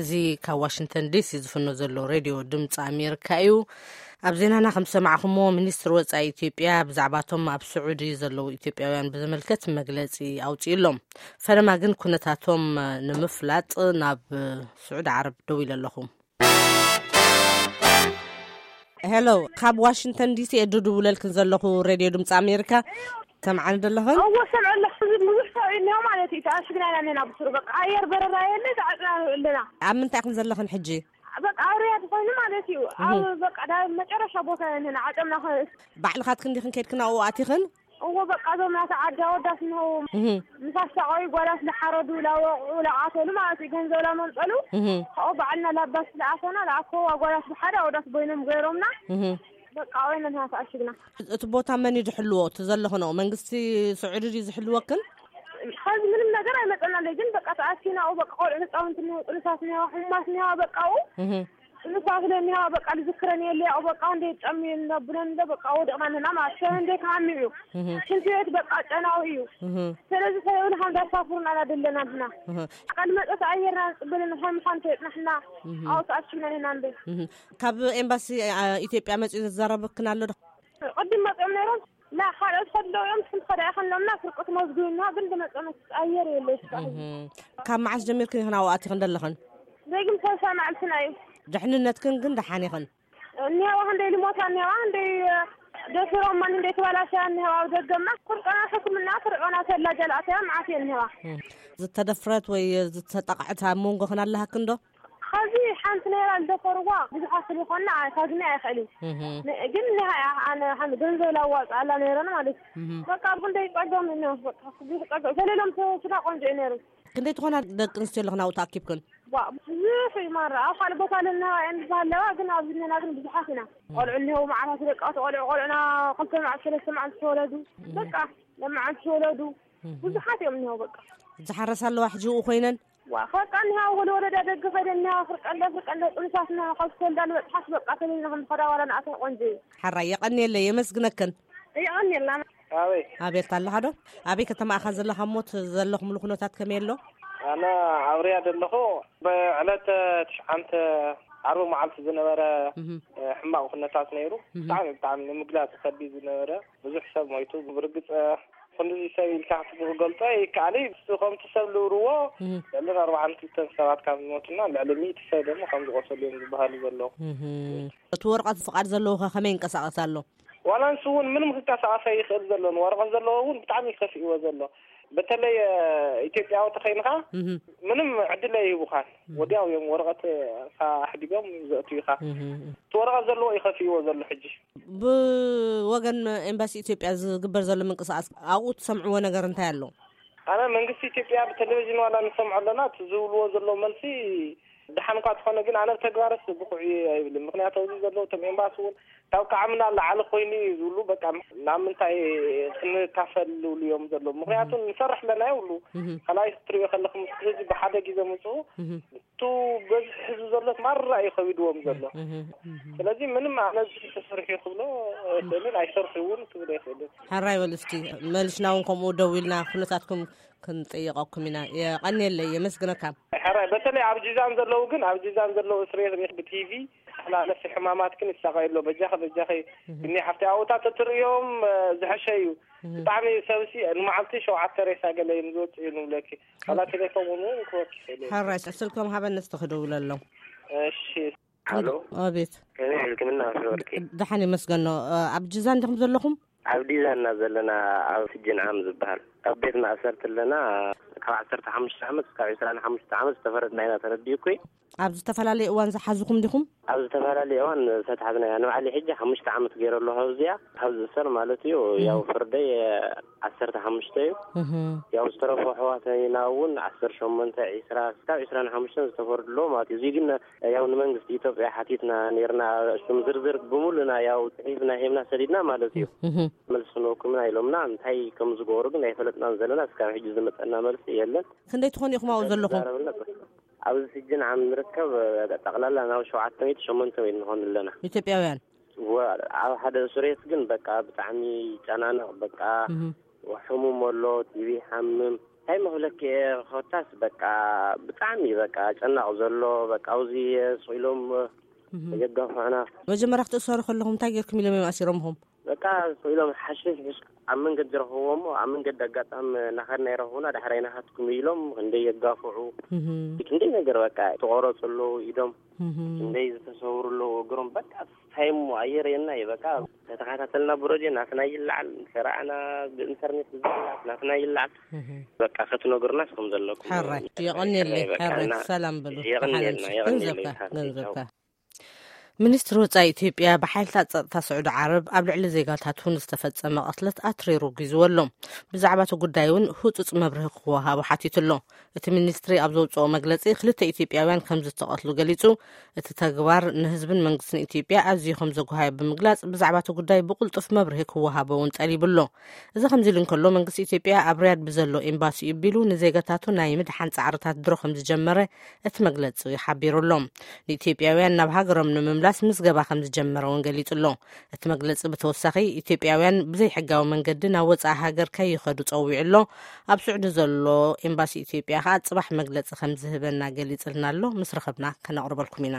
እዚ ካብ ዋሽንግተን ዲሲ ዝፍኖ ዘሎ ሬድዮ ድምፂ ኣሜሪካ እዩ። ኣብ ዜናና ከም ዝሰማዕኹሞ፣ ሚኒስትሪ ወፃኢ ኢትዮጵያ ብዛዕባቶም ኣብ ስዑዲ ዘለዉ ኢትዮጵያውያን ብዝምልከት መግለፂ ኣውፂኡ ኣሎም። ፈለማ ግን ኩነታቶም ንምፍላጥ ናብ ስዑዲ ዓረብ ደው ኢለ ኣለኹ። ሄሎ፣ ካብ ዋሽንግተን ዲሲ እየ ድድውለልክን ዘለኹ፣ ሬድዮ ድምፂ ኣሜሪካ። ሰምዓኒ ደለኽን? እዎ፣ ሰምዐ ኣለኹ። ብዙሕ ሰብ እዩ እኒኦ ማለት እዩ። ተኣሽግና ኢና እኒና ብስሩ። በቃ፣ ኣየር በረራ የለ፣ ተዓፅና ኣለና። ኣብ ምንታይ ኢኽን ዘለኽን ሕጂ? በቃ፣ ኣብ ርያድ ኮይኑ ማለት እዩ። ኣብ፣ እህ። በቃ፣ ዳ መጨረሻ ቦታ ኢና እኒና፣ ዓጠምና ከ- ባዕልኻትክን ዲኽን ከይድክን ኣብኡ ኣቲኽን? እዎ፣ በቃ፣ እዞም ናተ ዓዲ ኣወዳት እኒሆ። እህ። ምስ ኣሳቐዩ ጓላት ዝሓረዱ፣ ላወቑ፣ ላቃተሉ ማለት እዩ። ገንዘብ ላመንጠሉ። እህ። ካብኡ ባዕልና ላባስ ዝኣሰና፣ ዝኣከቡ ኣጓላት ብሓደ ኣወዳት ኮይኖም ገይሮምና። እህ። በቃ፣ ወይነ ንሃ ተኣሽግና። እቲ ቦታ መን እዩ ዝሕልዎ? እቲ ዘለኽንኦ መንግስቲ ስዑዲ ድዩ ዝሕልወክን? ኸዚ ምንም ነገር ኣይመጸናለይ፣ ግን በቃ ተኣሲና፣ ኣብኡ በቃ ቆልዑ ህጻውንቲ እኒሆ፣ ጥኑሳት እኒሆ፣ ሕሙማት እኒሆ፣ በቃ ኣብኡ እህ። ጥኑሳት እለ እኒሆ፣ በቃ ልዝክረን የለ፣ ያው በቃ እንደ ጨሚ ነብነን እንደ በቃ ወደቕና ንህና ማለት ሰብ እንደ ካሚ እዩ። እህ። ሽንቲ ቤት በቃ ጨናዊ እዩ። እህ። ስለዚ ሰበብን ሓምዳ ሳፍሩን ኣላ ደለና ንህና። እህ። ቃል መጠት ኣየርና ንጽበልን ኸም ምዃን ተየጥናሕና እህ። ኣብኡ ተኣሲና ንህና እንደ እህ። ካብ ኤምባሲ፣ አ፣ ኢትዮጵያ መጺኡ ዘዛረበክን ኣሎ ዶ? ቅድም መጺኦም ነይሮም፣ ላ፣ ካልኦት ከድለው እዮም፣ ትሕንቲ ከዳ ይኸንሎምና፣ ፍርቂ ትመዝግብና፣ ግን ዝመጸ መስ ኣየር የለ እስካሁን። እህ። ካብ መዓስ ጀሚርክን ኢኽን ኣብኡ ኣቲኽን ዘለኽን? ደጊም ሰልሳ መዓልትና እዩ። ድሕንነትክን ግን ደሓን ኢኽን? እኒሃዋ ክንደይ ልሞታ እኒሃዋ፣ ክንደይ ደፊሮማ፣ ክንደይ ተባላሽያ እኒሃዋ፣ ኣብ ደገማ፣ ፍርቀና ሕክምና፣ ፍርቀና ተላ ጀላእተያ፣ መዓት እየ እኒሃዋ። እህ። ዝተደፍረት ወይ ዝተጠቕዐት ኣብ መንጎኽን ኣለሃክን ዶ? ኸዚ ሓንቲ ነይራ ዝደፈርዋ ብዙሓት ስለ ዝኾንና፣ ካግኒ ኣይኽእል እዩ። እህ። ን-፣ ግን ንሃያ ኣነ ሓን ገንዘብ ላዋፅኣላ ነይረን ማለት እዩ። እህ። በቃ፣ ኣብ ክንደይ ፀገም እኒኦ፣ በቃ፣ ብዙሕ ፀገም። ተሌሎም ተ-፣ ስጋ ቆንጆ እዩ ነይሩ። ክንደይ ትኾና ደቂ ኣንስትዮ ኣለኽን ኣብኡ ተኣኪብክን? ዋ፣ ብዙሕ እዩ ማራ። ኣብ ካልእ ቦታ ኣለና እየን ዝበሃለዋ፣ ግን ኣብዚ እኒና ግን ብዙሓት ኢና። እህ። ቆልዑ እኒሄው፣ መዓታት ደቂ ቆልዑ፣ ቆልዑና ክልተ መዓልቲ፣ ሰለስተ መዓልቲ ተወለዱ። እህ። በቃ፣ ለመዓልቲ ተወለዱ። እህ። ብዙሓት እዮም እኒሄው፣ በቃ። ዝሓረሳ ኣለዋ ሕጂ ኣብኡ ኮይነን? ዋ፣ በቃ እኒሃ ወደ ወረዳ ደገ ኸይደ እኒሃ ፍርቀንደ፣ ፍርቀንደ ጥንሳትና ካብ ዝተወልዳ ልበጽሓት በቃ ተለይና ከም ዝኸዳ ዋላ ንኣተን ቆንጆ እዩ። ሓራይ የቐንየለይ፣ የመስግነክን። የቐንየልና። ኣበይ? ኣቤት ኣለኻ ዶ? ኣበይ ከተማ ኢኻ ዘለኻ እሞ እቲ ዘለኹምሉ ኩነታት ከመይ ኣሎ? ኣነ ኣብ ርያድ ኣለኹ። ብዕለተ ትሽዓንተ ዓርቢ መዓልቲ ዝነበረ፣ እህ። እ፣ ሕማቕ ኩነታት ነይሩ። እህ። ብጣዕሚ፣ ብጣዕሚ ንምግላጽ ከቢድ ዝነበረ፣ ብዙሕ ሰብ ሞይቱ። ብርግጽ፣ እ፣ ክንድዚ ሰብ ኢልካ ክትገልጾ ኣይከኣልን። ከምቲ ሰብ ዝብልዎ፣ እህ። ልዕሊ ኣርባዓን ክልተን ሰባት ካብ ዝሞቱና፣ ልዕሊ ሚእቲ ሰብ ድማ ከም ዝቆሰሉ እዮም ዝበሃሉ ዘለዉ። እህ። እቲ ወረቐት ፍቓድ ዘለዎ ኸ ከመይ ይንቀሳቐስ ኣሎ? ዋላ ንሱ እውን ምንም ክንቀሳቐስ ኣይኽእል ዘሎ። ንወረቐት ዘለዎ እውን ብጣዕሚ እዩ ከፊእዎ ዘሎ። በተለይ፣ እ፣ ኢትዮጵያዊ ተኸይንኻ፣ እህ። ምንም ዕድል ኣይህቡኻን። እህ። ወዲያው እዮም ወረቐት፣ እ፣ ኣሕዲጎም ዘእትዩኻ። እህ። እቲ ወረቐት ዘለዎ እዩ ከፊእዎ ዘሎ ሕጂ። ብወገን ኤምባሲ ኢትዮጵያ ዝግበር ዘሎ ምንቅስቓስ ኣብኡ ትሰምዕዎ ነገር እንታይ ኣሎ? ኣነ መንግስቲ ኢትዮጵያ ብቴሌቪዥን ዋላ ንሰምዖ ኣለና፣ እቲ ዝብልዎ ዘለዉ መልሲ ደሓን እኳ ተኾነ፣ ግን ኣነ ብተግባርስ ብቑዕ እዩ ኣይብልን። ምኽንያቱ ኣብዚ ዘለዉ እቶም ኤምባሲ እውን ካብ ከዓምና ንላዕሊ ኮይኑ እዩ ዝብሉ። በቃ ናብ ምንታይ ክንካፈል ዝብሉ እዮም ዘለዉ። ምኽንያቱ ንሰርሕ ኣለና ይብሉ። እህ። ካልኣይ ክትሪኦ ከለኹም ህዝቢ ብሓደ ግዜ ምፅኡ እህ። እቱ በዝሒ ህዝቢ ዘሎ ማራ እዩ ከቢድዎም ዘሎ። እህ፣ እህ። ስለዚ ምንም ኣነ እዚ ተሰርሑ ክብሎ ኣይኽእልን፣ ኣይሰርሑ እውን ክብሎ ኣይኽእልን። ሕራይ በሉ እስኪ፣ መልሽና እውን ከምኡ ደው ኢልና ኩነታትኩም ክንጥይቐኩም ኢና። የቐንየለይ፣ የመስግነካ። ሕራይ፣ በተለይ ኣብ ጂዛን ዘለዉ ግን፣ ኣብ ጂዛን ዘለዉ እስር ቤት ብ ቲ ቪ ተመላለሲ ሕማማት ግን ይሳቐዩ ኣሎ። በጃኺ፣ በጃኺ፣ እህ። እኒ ሓፍቲ ኣብኡታት እትርእዮም፣ እ፣ ዝሐሸ እዩ። እህ። ብጣዕሚ ሰብሲ ንመዓልቲ ሸውዓተ ሬሳ ገለ እዮም ዝወፅኡ እዩ ንብለኪ። ዋላ ቴሌፎን እውን ክወርድ ይኽእል እዩ። ሕራይ፣ ስልኮም ሃበኒ እስቲ ክደውለሎም። እሺ። ሃሎ። ኣቤት። ከመይ ኢልክን እናወሰወርኪ? ደሓን ይመስገኖ። ኣብ ጅዛን ዲኹም ዘለኹም? ኣብ ዲዛን ኢና ዘለና፣ ኣብ ስጅን ዓም ዝበሃል። ኣብ ቤት ማእሰርቲ ኣለና። ካብ ዓሰርተ ሓሙሽተ ዓመት እስካብ ዕስራን ሓሙሽተ ዓመት ዝተፈረድና ኢና፣ ተረዲእኩ። ኣብ ዝተፈላለየ እዋን ዝሓዙኹም ዲኹም? ኣብ ዝተፈላለየ እዋን ዝተታሕዝና ኢና። ንባዕለይ ሕጂ ሓሙሽተ ዓመት ገይረ ኣለኹ ኣብዚኣ፣ ካብ ዝእሰር ማለት እዩ። እህ። ያው ፍርደይ ዓሰርተ ሓሙሽተ እዩ። እህ። ያው ዝተረፉ ኣሕዋትና እውን ዓሰርተ ሸሞንተ፣ ዕስራ፣ ክሳብ ዕስራን ሓሙሽተን ዝተፈርዱ ኣለዉ ማለት እዩ። እዚ ግን ያው ንመንግስቲ ኢትዮጵያ ሓቲትና ነይርና፣ እሱም ዝርዝር ብምሉና ያው ጽሒፍና ሂብና ሰዲድና ማለት እዩ። እህ። መልሲ ክንወኩም ኢና ኢሎምና፣ እንታይ ከም ዝገበሩ ግን ኣይፈለጥናን ዘለና። እስካብ ሕጂ ዝመጸና መልሲ የለን። ክንደይ ትኾኑ ኢኹም ኣብኡ ዘለኹም? ተዛረብና። ኣብዚ ስጅን ዓም ንርከብ፣ ጠቕላላ ናብ ሸውዓተ ሚእቲ ሸሞንተ ሚእቲ ንኾን ኣለና። ኢትዮጵያውያን? ወ-፣ ኣብ ሓደ እስር ቤት ግን በቃ ብጣዕሚ ይጨናነቕ፣ በቃ እህ። ሕሙም ኣሎ፣ ቲቪ ይሓምም፣ እንታይ መህለክ ኮታስ በቃ ብጣዕሚ በቃ ጨናቕ ዘሎ በቃ ኣብዚ ስቕ ኢሎም የጋፍዑና። መጀመርያ ክትእሰሩ ከለኹም እንታይ ጌርኩም ኢሎም እዮም ኣሲሮምኹም? በቃ ስቕ ኢሎም ሓሽሽ ኣብ መንገዲ ረኽብዎ እሞ ኣብ መንገዲ ኣጋጣሚ እናኸድና ይረኽቡና። ዳሕራይ ናኻትኩም ኢሎም ክንደይ የጋፍዑ ክንደይ ነገር በቃ ተቆረፁ ኣለዉ ኢዶም ክንደይ ዝተሰውሩ ኣለዉ እግሮም በቃ እንታይ እሞ ኣየር የና እዩ በቃ ተተኸታተልና ብረድዮ ናትና ይለዓል ሰራዕና ብኢንተርኔት ብዝለዓል ናትና ይለዓል በቃ ክትነግሩና ስኹም ዘለኩም ሕራይ የቐንየለይ ሕራይ ሰላም በሉ የቐንየልና ገንዘብካ የቐንየልና ገንዘብካ ሚኒስትሪ ወፃኢ ኢትዮጵያ ብሓይልታት ፀጥታ ስዑዲ ዓረብ ኣብ ልዕሊ ዜጋታቱ ንዝተፈፀመ ቅትለት ኣትሪሩ ኣውጊዝዎ ኣሎ። ብዛዕባ እቲ ጉዳይ እውን ህፁፅ መብርሂ ክወሃቦ ሓቲቱ ኣሎ። እቲ ሚኒስትሪ ኣብ ዘውፅኦ መግለፂ ክልተ ኢትዮጵያውያን ከም ዝተቐትሉ ገሊፁ። እቲ ተግባር ንህዝብን መንግስትን ኢትዮጵያ ኣዝዩ ከም ዘጉሃዮ ብምግላፅ ብዛዕባ እቲ ጉዳይ ብቕልጡፍ መብርሂ ክወሃቦ እውን ጠሊቡ ኣሎ። እዚ ከምዚ ኢሉ እንከሎ መንግስቲ ኢትዮጵያ ኣብ ሪያድ ብዘሎ ኤምባሲኡ ቢሉ ንዜጋታቱ ናይ ምድሓን ፃዕርታት ድሮ ከም ዝጀመረ እቲ መግለፂ ሓቢሩ ኣሎ። ንኢትዮጵያውያን ናብ ሃገሮም ንምምላስ ምዝገባ ከም ዝጀመረ እውን ገሊፁ ኣሎ። እቲ መግለፂ ብተወሳኺ ኢትዮጵያውያን ብዘይሕጋዊ መንገዲ ናብ ወፃኢ ሃገር ከይኸዱ ፀዊዑ ኣሎ። ኣብ ስዑዲ ዘሎ ኤምባሲ ኢትዮጵያ ከዓ ፅባሕ መግለፂ ከም ዝህበና ገሊፅልና ኣሎ። ምስ ረኸብና ከነቕርበልኩም ኢና።